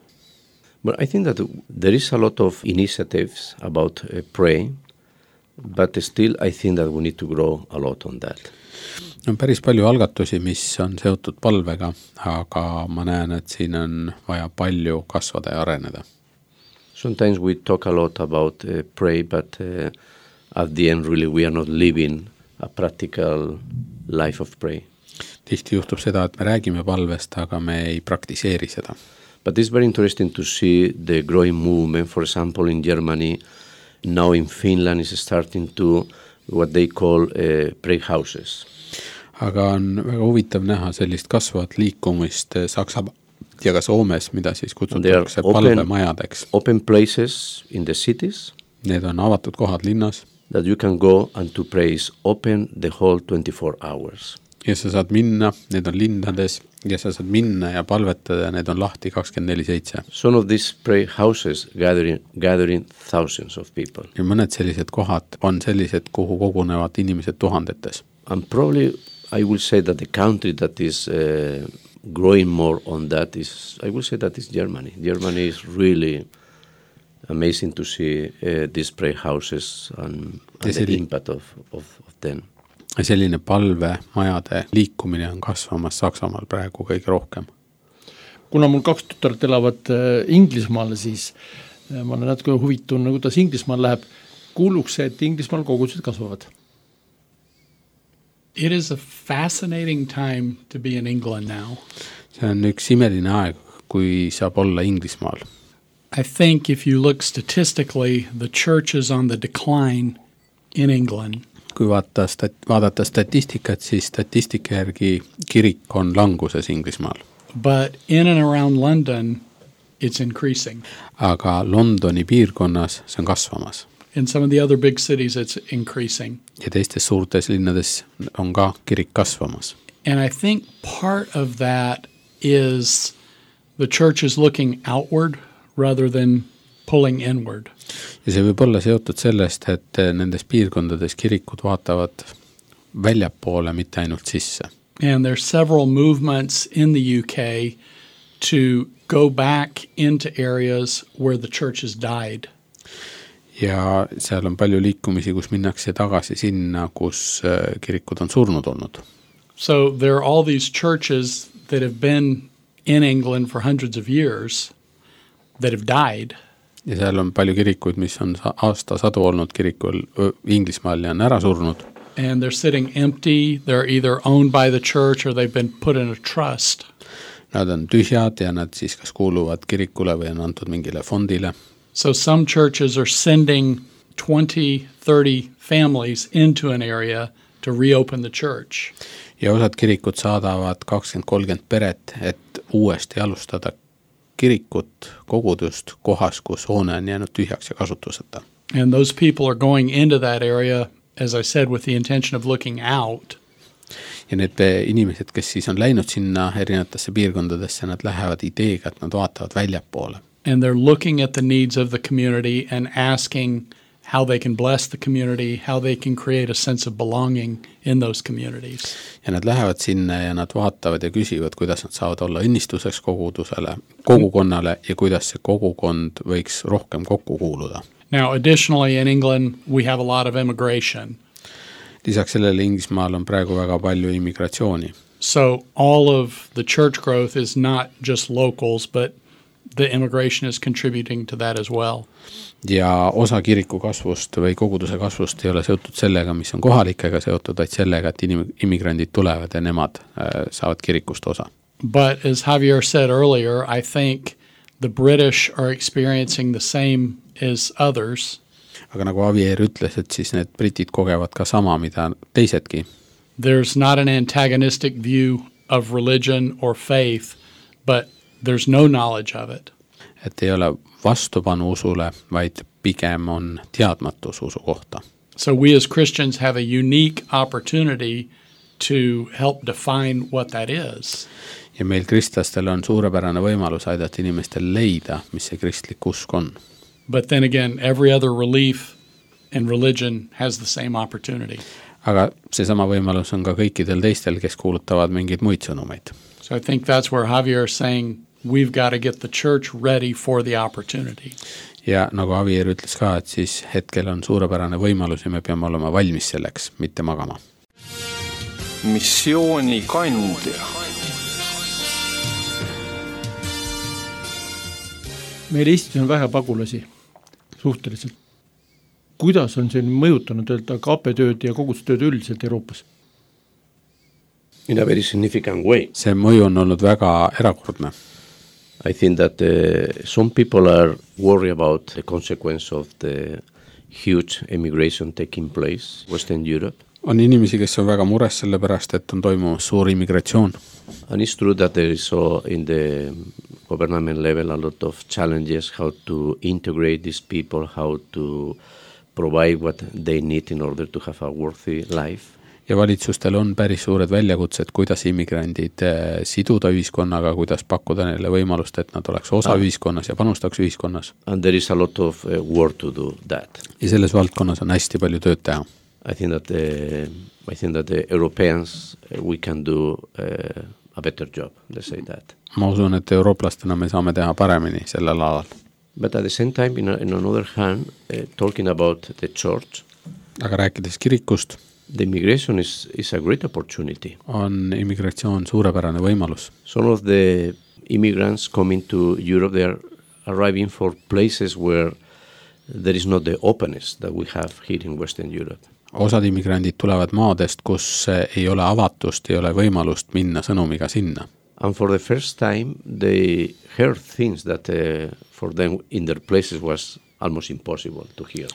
But I think that there is a lot of initiatives about uh, praying, but still I think that we need to grow a lot on that. On päris palju algatusi, mis on seotud palvega, aga ma näen, et siin on vaja palju kasvada ja areneda. Sometimes we talk a lot about uh, pray, but uh, at the end really we are not living a practical life of pray. Tihti juhtub seda, et me räägime palvest, aga me ei praktiseeri seda. But it's very interesting to see the growing movement, for example, in Germany, now in Finland is starting to what they call uh, pray houses. Aga on väga huvitav näha sellist kasvavat liikumist Saksa ja ka Soomes, mida siis kutsutakse palvemajadeks. Open places in the cities. Need on avatud kohad linnas. That you can go and to pray is open the whole twenty-four hours. Ja sa saad minna, need on linnades, ja sa saad minna ja palvetada, need on lahti kakskümmend neli seitse. Some of these pray houses gathering, gathering thousands of people. Ja mõned sellised kohad on sellised, kuhu kogunevad inimesed tuhandetes. And probably I will say that the country that is uh, growing more on that is, I will say that is Germany. Germany is really amazing to see uh, these pray houses and, and the impact of, of, of them. Selline palvemajade liikumine on kasvamas Saksamaal praegu kõige rohkem. Kuna mul kaks tütart elavad Inglismaal, siis ma olen natuke huvitun, kuidas Inglismaal läheb. Kuuluks see, et Inglismaal kogudused kasvavad? It is a fascinating time to be in England now. See on üks imeline aeg, kui saab olla Inglismaal. I think if you look statistically, the church is on the decline in England. Kui vaata stat- vaadata statistikat, siis statistika järgi kirik on languses Inglismaal. But in and around London, it's increasing. Aga Londoni piirkonnas see on kasvamas. In some of the other big cities, it's increasing. Ja teistes suurtes linnades on ka kirik kasvamas. And I think part of that is the church is looking outward rather than pulling inward. Ja see võib olla seotud sellest, et nendes piirkondades kirikud vaatavad väljapoole, mitte ainult sisse. And there's several movements in the U K to go back into areas where the church has died. Ja seal on palju liikumisi, kus minnakse tagasi sinna, kus kirikud on surnud olnud. So there are all these churches that have been in England for hundreds of years that have died. ja seal on palju kirikuid, mis on aastasadu olnud kirikul Inglismaal ja on ära surnud. And they're sitting empty, they're either owned by the church or they've been put in a trust. Nad on tühjad ja nad siis kas kuuluvad kirikule või on antud mingile fondile. So some churches are sending twenty, thirty families into an area to reopen the church. Ja osad kirikud saadavad kakskümmend kolmkümmend peret, et uuesti alustada kirikut, kogudust kohas, kus hoone on jäänud tühjaks ja kasutuseta. And those people are going into that area, as I said, with the intention of looking out. Ja need inimesed, kes siis on läinud sinna erinevatesse piirkondadesse, nad lähevad ideega, et nad vaatavad väljapoole. And they're looking at the needs of the community and asking how they can bless the community, how they can create a sense of belonging in those communities. Ja nad lähevad sinna ja nad vaatavad ja küsivad, kuidas nad saavad olla õnnistuseks kogudusele, kogukonnale ja kuidas see kogukond võiks rohkem kokku kuuluda. Now, additionally in England, we have a lot of immigration. Lisaks sellele Inglismaal on praegu väga palju immigratsiooni. So all of the church growth is not just locals, but the immigration is contributing to that as well. Ja osa kiriku kasvust või koguduse kasvust ei ole seotud sellega, mis on kohalikega seotud, vaid sellega, et immigrandid tulevad ja nemad saavad kirikust osa. But as Javier said earlier, I think the British are experiencing the same as others. Aga nagu Javier ütles, et siis need britid kogevad ka sama, mida teisedki. There's not an antagonistic view of religion or faith, but there's no knowledge of it. Et ei ole vastupanu usule, vaid pigem on teadmatus usu kohta. So we as Christians have a unique opportunity to help define what that is. Ja meil kristlastel on suurepärane võimalus aidata inimestel leida, mis see kristlik usk on. But then again, every other belief and religion has the same opportunity. Aga see sama võimalus on ka kõikidel teistel, kes kuulutavad mingeid muid sõnumeid. So I think that's where Javier is saying we've got to get the church ready for the opportunity. Ja nagu Javier ütles ka, et siis hetkel on suurepärane võimalus ja me peame olema valmis selleks, mitte magama. Missiooni kandja. Meil Eestis on vähe pagulasi suhteliselt. Kuidas on see mõjutanud öelda K P tööd ja kogudustööd üldiselt Euroopas? In a very significant way. See mõju on olnud väga erakordne. I think that uh, some people are worried about the consequence of the huge immigration taking place in Western Europe. On inimesi, kes on väga mures selle pärast, et on toimumas suur immigratsioon. And it's true that there is so in the government level a lot of challenges how to integrate these people, how to provide what they need in order to have a worthy life. Ja valitsustel on päris suured väljakutsed, kuidas immigrandid siduda ühiskonnaga, kuidas pakkuda neile võimalust, et nad oleks osa ah. ühiskonnas ja panustaks ühiskonnas. And there is a lot of uh, work to do that. Ja selles valdkonnas on hästi palju tööd teha. I think that the, I think that the Europeans, uh, we can do uh, a better job, let's say that. Ma usun, et eurooplastena me saame teha paremini sellel alal. But at the same time, in, a, in another hand, uh, talking about the church, aga rääkides kirikust, the immigration is, is a great opportunity. On immigratsioon suurepärane võimalus. Some of the immigrants coming to Europe, they are arriving for places where there is not the openness that we have here in Western Europe. Osad immigrandid tulevad maadest, kus ei ole avatust, ei ole võimalust minna sõnumiga sinna. And for the first time, they heard things that uh, for them in their places was almost impossible to hear.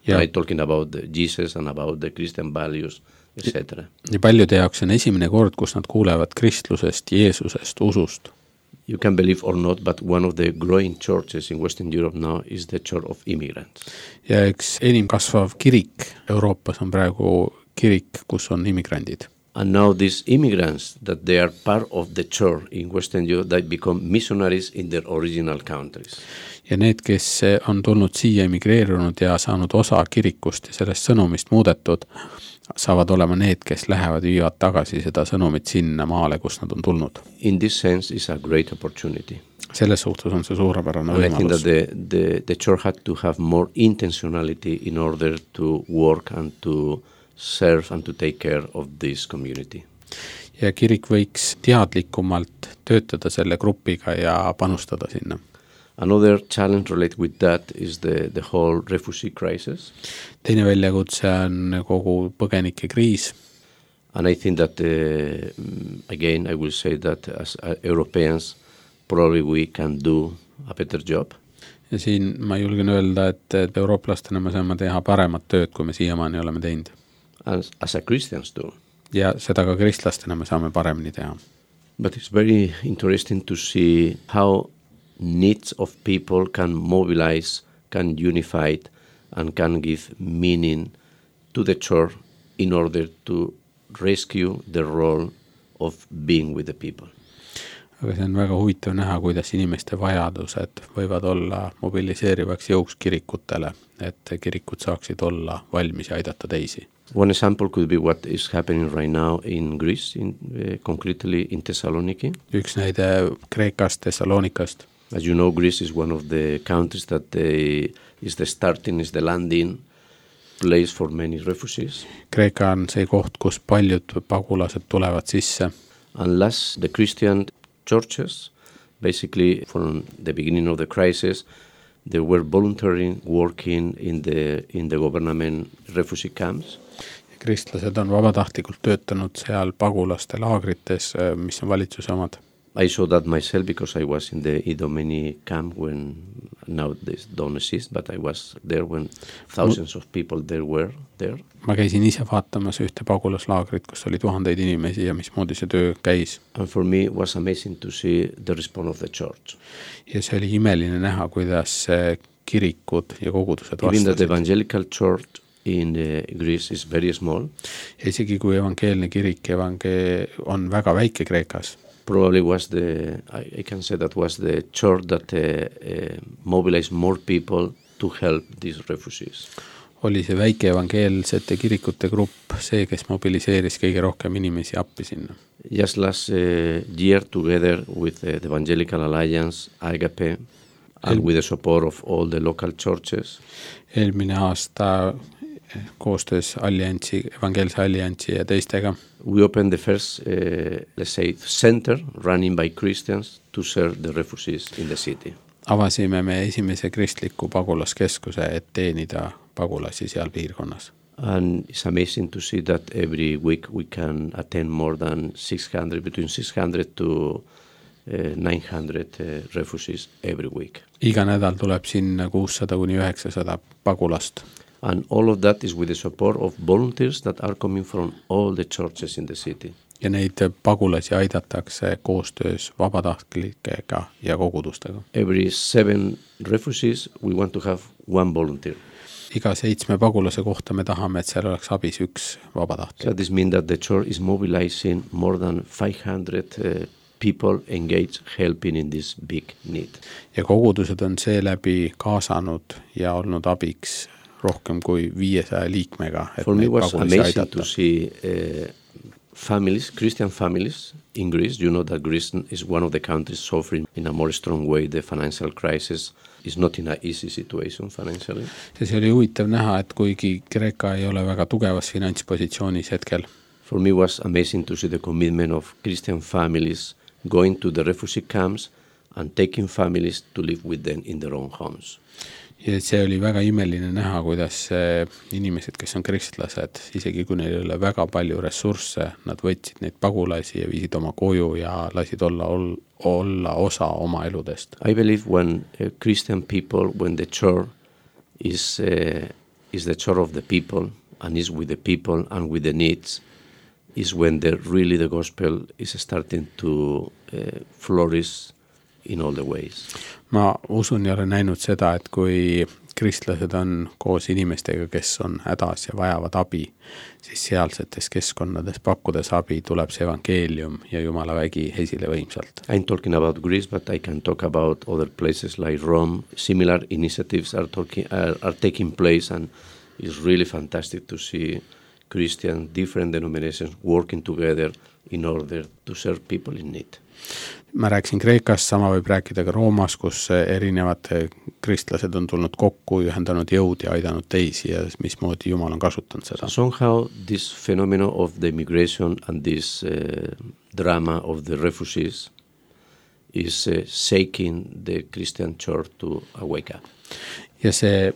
Yeah. Right, talking about the Jesus and about the Christian values, et cetera. Ja paljude jaoks on esimene kord, kus nad kuulevad kristlusest, Jeesusest, usust. You can believe or not, but one of the growing churches in Western Europe now is the Church of Immigrants. Ja üks enim kasvav kirik Euroopas on praegu kirik, kus on immigrandid. And now these immigrants, that they are part of the church in Western Europe, they become missionaries in their original countries. Ja need, kes on tulnud siia emigreerunud ja saanud osa kirikust ja sellest sõnumist muudetud, saavad olema need, kes lähevad viivad tagasi seda sõnumit sinna maale, kus nad on tulnud. In this sense is a great opportunity. Selles suhtes on see suurepärane võimalus. I think that the, the, the church had to have more intentionality in order to work and to serve and to take care of this community. Ja kirik võiks teadlikumalt töötada selle grupiga ja panustada sinna. Another challenge related with that is the, the whole refugee crisis. Teine väljakutse on kogu põgenike kriis. And I think that, uh, again, I will say that as uh, Europeans, probably we can do a better job. Ja siin ma julgen öelda, et, et eurooplastena me saame teha paremat tööd, kui me siiamaani oleme teinud. As, as a Christians too. Ja seda ka kristlastena me saame paremini teha. But it's very interesting to see how needs of people can mobilize, can unify and can give meaning to the church in order to rescue the role of being with the people. Aga see on väga huvitav näha, kuidas inimeste vajadused võivad olla mobiliseerivaks jõuks kirikutele, et kirikud saaksid olla valmis ja aidata teisi. One example could be what is happening right now in Greece, in, uh, concretely in Thessaloniki. Üks näide Kreekast, Thessalonikast. As you know, Greece is one of the countries that they, is the starting, is the landing place for many refugees. Kreeka on see koht, kus paljud pagulased tulevad sisse. Unless the Christian churches, basically from the beginning of the crisis, they were voluntarily working in the, in the government refugee camps. Kristlased on vabatahtlikult töötanud seal pagulaste laagrites, mis on valitsuse omad. I saw that myself because I was in the Idomeni camp when now this don't exist, but I was there when thousands of people there were there. Ma käisin ise vaatamas ühte pagulaslaagrit, kus oli tuhandeid inimesi ja mismoodi see töö käis. And for me it was amazing to see the response of the church. Ja see oli imeline näha, kuidas kirikud ja kogudused vastasid. Even the evangelical church in Greece is very small. Ja isegi kui evangeelne kirik evange on väga väike Kreekas. Probably was the, I, I can say that was the church that uh, uh, mobilized more people to help these refugees. Oli see väike evangeelsete kirikute grupp see, kes mobiliseeris kõige rohkem inimesi appi sinna. Just last uh, year together with uh, the Evangelical Alliance, Agape, and El- with the support of all the local churches. Eelmine aasta koostöös alliansi, evangeelse alliansi ja teistega. We opened the first, uh, let's say, center running by Christians to serve the refugees in the city. Avasime me esimese kristliku pagulaskeskuse, et teenida pagulasi seal piirkonnas. And it's amazing to see that every week we can attend more than six hundred, between six hundred to uh, nine hundred uh, refugees every week. Iga nädal tuleb sinna kuussada kuni üheksasada pagulast. And all of that is with the support of volunteers that are coming from all the churches in the city. Ja neid pagulasi aidatakse koostöös vabatahtlikega ja kogudustega. Every seven refugees we want to have one volunteer. Iga seitsme pagulase kohta me tahame, et seal oleks abis üks vabatahtlik. So this means that the church is mobilizing more than five hundred uh, people engaged helping in this big need. Ja kogudused on seeläbi kaasanud ja olnud abiks rohkem kui viiesaja liikmega, et For me neid was pagulasi amazing aidata. to see uh, families, Christian families in Greece. You know that Greece is one of the countries suffering in a more strong way the financial crisis. Is not in an easy situation financially. See oli huvitav näha, et kuigi Kreeka ei ole väga tugevas finantspositsioonis hetkel. For me was amazing to see the commitment of Christian families going to the refugee camps and taking families to live with them in their own homes. Ja see oli väga imeline näha, kuidas inimesed, kes on kristlased, isegi kui neil ei ole väga palju ressursse, nad võtsid neid pagulasi ja viisid oma koju ja lasid olla, olla osa oma eludest. I believe when uh, Christian people, when the church is, uh, is the church of the people and is with the people and with the needs, is when the, really the gospel is starting to uh, flourish in all the ways. Ma usun ja olen näinud seda, et kui kristlased on koos inimestega, kes on hädas ja vajavad abi, siis sealsetes keskkonnades pakkudes abi tuleb see evangeelium ja Jumala vägi esile võimsalt. I'm talking about Greece, but I can talk about other places like Rome. Similar initiatives are, talking, are, are taking place, and it's really fantastic to see Christian, different denominations working together in order to serve people in need. Ma rääkisin Kreekast, sama võib rääkida ka Roomas, kus erinevad kristlased on tulnud kokku, ühendanud jõud ja aidanud teisi ja mismoodi Jumal on kasutanud seda. Somehow this phenomenon of the immigration and this uh, drama of the refugees is uh, shaking the Christian church to a wake up. Ja see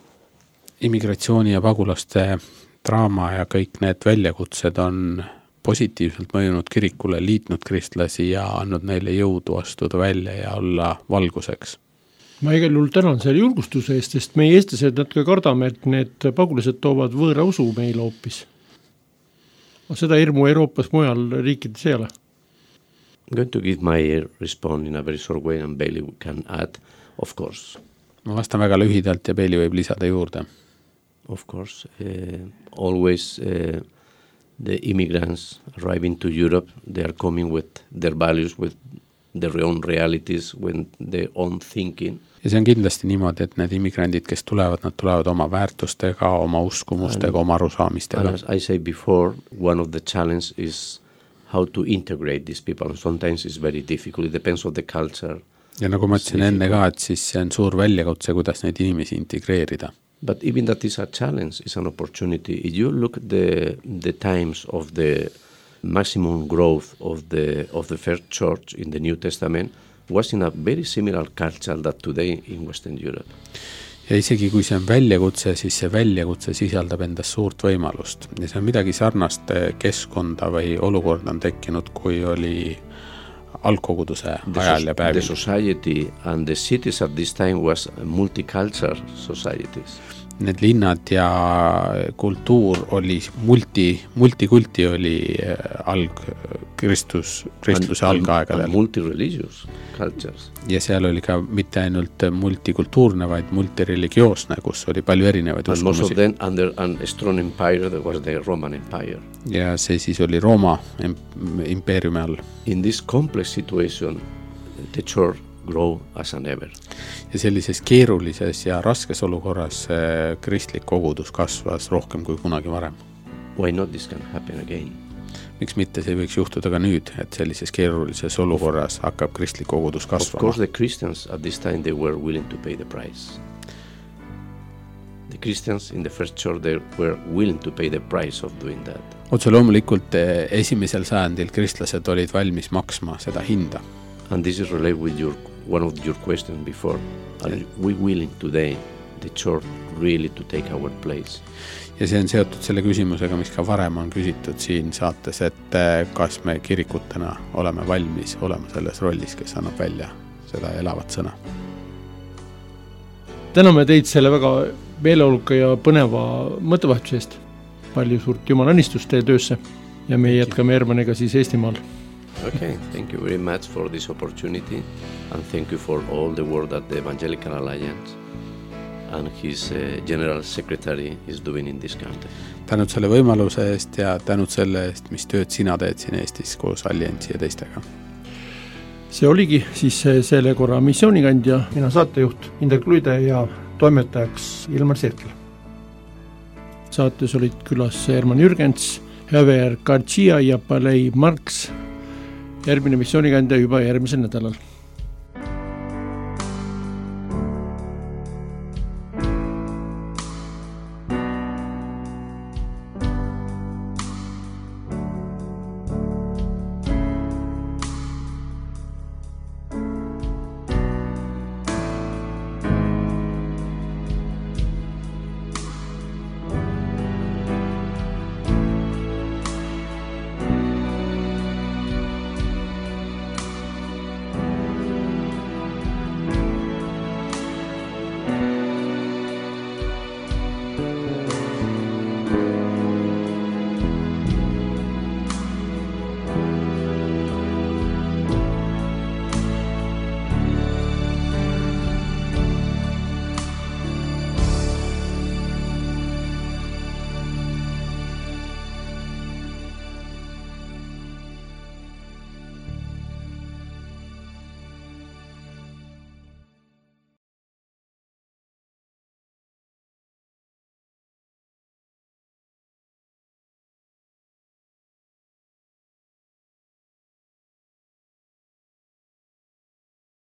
immigratsiooni ja pagulaste draama ja kõik need väljakutsed on positiivselt mõjunud kirikule, liitnud kristlasi ja andnud neile jõudu astuda välja ja olla valguseks. Ma igal juhul tänan selle julgustuse eest, sest meie eestlased natuke kardame, et need pagulased toovad võõra usu meile hoopis. Seda hirmu Euroopas mujal riikides ei ole. I'm going to give my response in a very short way and Bailey can add, of course. Ma vastan väga lühidalt ja Bailey võib lisada juurde. Of course, uh, always uh, the immigrants arriving to Europe, they are coming with their values, with their own realities, with their own thinking. Ja see on kindlasti niimoodi, et need immigrandid, kes tulevad, nad tulevad oma väärtustega, oma uskumustega, oma arusaamistega. As I said before, one of the challenge is how to integrate these people. Sometimes it's very difficult, it depends on the culture. Ja nagu ma ütlesin enne ka, et siis see on suur väljakutse, kuidas neid inimesi integreerida. But even that is a challenge, it's an opportunity. If you look at the, the times of the maximum growth of the, of the first church in the New Testament, was in a very similar culture that today in Western Europe. Ja isegi kui see on väljakutse, siis see väljakutse sisaldab endas suurt võimalust. Ja see on midagi sarnast keskkonda või olukorda on tekkinud, kui oli algkoguduse ajal ja päevil. The society and the cities at this time was multicultural societies. Need linnad ja kultuur oli multi, multikulti oli alg, Kristus, Kristuse algaegadel. And multi-religious cultures. Ja seal oli ka mitte ainult multikultuurne, vaid multireligioosne, kus oli palju erinevaid and uskumusi. Most of them under a strong empire that was the Roman Empire. Ja see siis oli Rooma impeeriumi all. In this complex situation, the church grow as an ever. Ja sellises keerulises ja raskes olukorras kristlik kogudus kasvas rohkem kui kunagi varem. Why not this can happen again? Miks mitte see võiks juhtuda ka nüüd, et sellises keerulises olukorras hakkab kristlik kogudus kasvama? Of course the Christians at this time they were willing to pay the price. The Christians in the first church they were willing to pay the price of doing that. Otse loomulikult esimesel sajandil kristlased olid valmis maksma seda hinda. And this is related with your one of your questions before. Are we willing today, the church, really to take our place? Ja see on seotud selle küsimusega, mis ka varem on küsitud siin saates, et kas me kirikutena oleme valmis olema selles rollis, kes annab välja seda elavat sõna. Täname teid selle väga meeleoluka ja põneva mõttevahetuse eest. Palju suurt Jumala õnnistust teie töösse ja me jätkame Hermaniga siis Eestimaal. Okay, thank you very much for this opportunity and thank you for all the work that the Evangelical Alliance and his uh, General Secretary is doing in this country. Tänud selle võimaluse eest ja tänud selle eest, mis tööd sina teed siin Eestis koos Alliansi ja teistega. See oligi siis selle korra missioonikandja, mina saatejuht Indrek Luide ja toimetajaks Ilmar Sirkel. Saates olid külas Herman Jürgens, Javier Garcia ja Bailey Marks. Järgmine missioonikandja juba järgmisel nädalal.